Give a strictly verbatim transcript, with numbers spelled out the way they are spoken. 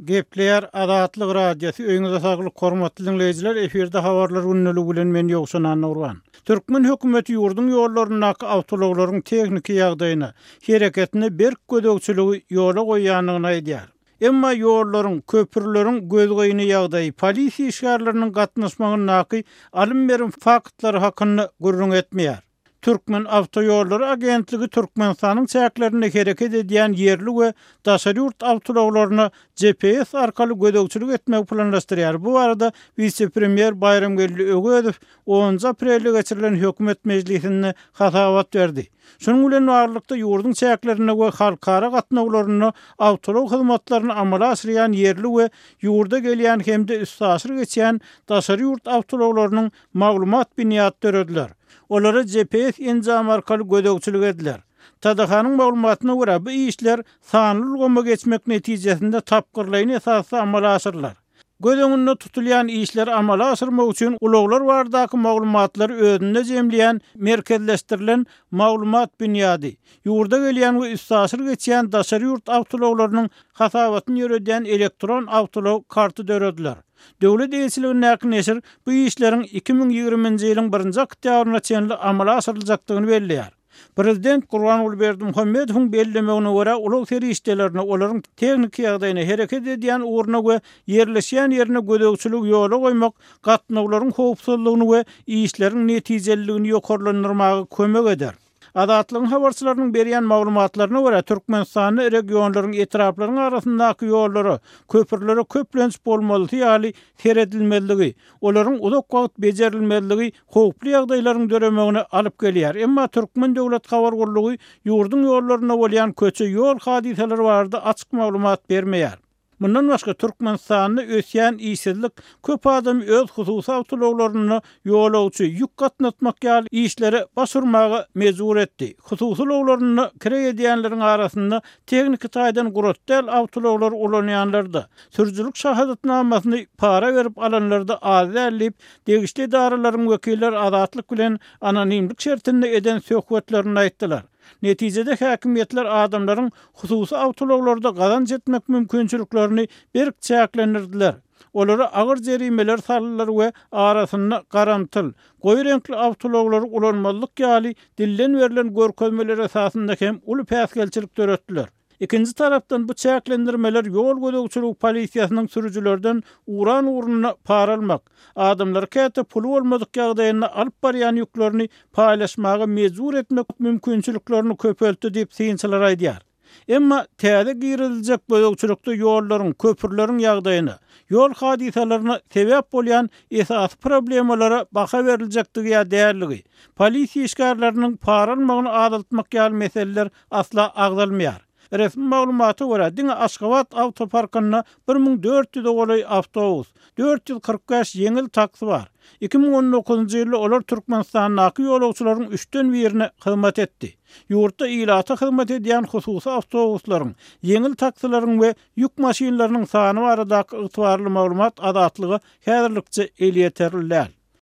Gepleýär Azatlyk Radiosy, öýüňize saglyk, hormatly diňleýjiler, efirde habarlar gündeligi bilen men Ýowşan Annagurban. Türkmen hökümeti ýurduň ýollaryndaky awtoulaglaryň tehniki ýagdaýyna, hereketine berk gözegçiligi ýola goýýandygyny aýdýar. Emma ýollaryň, köprüleriň gözgyny ýagdaýy, polisiýa işgärleriniň gatnaşmagyndaky alym-berim faktlary hakynda gürrüň etmeýär. Türkmen awtoýollary agentligi Türkmenistanyň çäklerinde hereket edýän ýerli we daşary ýurt awtoulaglaryna G P S arkaly gözegçilik etmegi planlaşdyrýar. Bu barada wise-premýer Baýramgeldi Öwezow onunjy aprelde geçirilen hökümet mejlisinde hasabat berdi. Şunuň bilen baglylykda ýurduň çäklerinde we halkara gatnawlarynda awtoulag hyzmatlaryny amala aşyrýan ýerli we ýurda gelýän hem-de üstaşyr geçýän daşary ýurt awtoulaglarynyň maglumat binýady dörediler. Olara G P S enjamy arkaly gözegçilik ediler. T D H-nyň maglumatyna görä, bu işler sanly ulgama geçmek netijesinde tapgyrlaýyn esasda amala aşyrylar. Göz öňünde tutulýan işleri amala aşyrmak üçin ulaglar baradaky maglumatlary özünde jemleýän merkezleşdirilen maglumat binýady, ýurda gelýän we üstaşyr geçýän daşary ýurt awtoulaglarynyň hasabatyny ýöredýän elektron awtoulag karty dörediler. Döwlet eýeçiligindäki neşir bu işleriň iki müň ýigriminji ýylyň birinji oktýabryna çenli amala aşyryljakdygyny belleýär. Prezident Gurbanguly Berdimuhamedowyň bellemegine görä, ulag serişdelerine, olaryň tehniki ýagdaýyna, hereket edýän ugruna we ýerleşýän ýerine gözegçiligi ýola goýmak gatnawlaryň howpsuzlygyny we işleriň netijeliligini ýokarlandyrmaga kömek eder. Azatlygyň habarçylarynyň berýän maglumatlaryna görä, Türkmenistanda regionlaryň, etraplaryň arasyndaky ýollara, köprülere köplenç bolmalysy ýaly seredilmezligi, olaryň uzak wagt bejerilmezligi howply ýagdaýlaryň döremegine alyp gelýär. Emma Türkmen döwlet habar gullugy ýurduň ýollarynda bolýan köçe ýol hadysalary barada açyk maglumat bermeýär. Mundan başga, Türkmenistanda ösýän işsizlik köp adam öz hususy awtoulaglarynda ýolagçy, ýük gatnatmak ýaly işlere baş urmaga mejbur etdi. Hususy ulaglarynda kireý edýänleriň arasynda tehniki taýdan gurat däl awtoulaglary ulanýanlar-da, sürüjilik şahadatnamasyny para berip alanlar-da az däl diýip, degişli edaralaryň wekilleri Azatlyk bilen anonimlik şertinde eden söhbetlerinde aýtdylar. Netijede häkimiýetler adamlaryň hususy awtoulaglarda gazanç etmek mümkinçiliklerini berk çäklendirdiler. Olara agyr jerimeler saldylar we arasynda garamtyl, goýy reňkli awtoulaglary ulanmazlyk ýaly dilden berlen görkezmeler esasynda hem uly päsgelçilik döretdiler. Ikinji tarapdan bu çäklendirmeler ýol gözegçiligi polisiýasynyň sürüjilerden uran ugruna para almak, adamlary käte puly bolmadyk ýagdaýynda alyp barýan ýüklerini paýlaşmaga mejbur etmek mümkinçiliklerini köpeltdi diýip synçylar aýdýar. Emma täze giriziljek gözegçilikde ýollaryň, köprüleriň ýagdaýyna, ýol hadysalaryna sebäp bolýan esasy problemalara baha beriljekdigi ýa dälligi, polisiýa işgärleriniň para almagyny azaltmak ýaly meseleler asla agzalmaýar. Resmi maglumata görä, diňe Aşgabat awtoparkynda bir müň dört ýüze golaý awtobus, dört ýüz kyrk bäş ýeňil taksi bar. iki müň on dokuzynjy ýylda olar Türkmenistandaky ýolagçylaryň üçden birine hyzmat etdi. Ýurtda ilata hyzmat edýän hususy awtobuslaryň, ýeňil taksilaryň we ýük maşynlarynyň sany baradaky ygtybarly maglumat Azatlyga häzirlikçe elýeterli däl.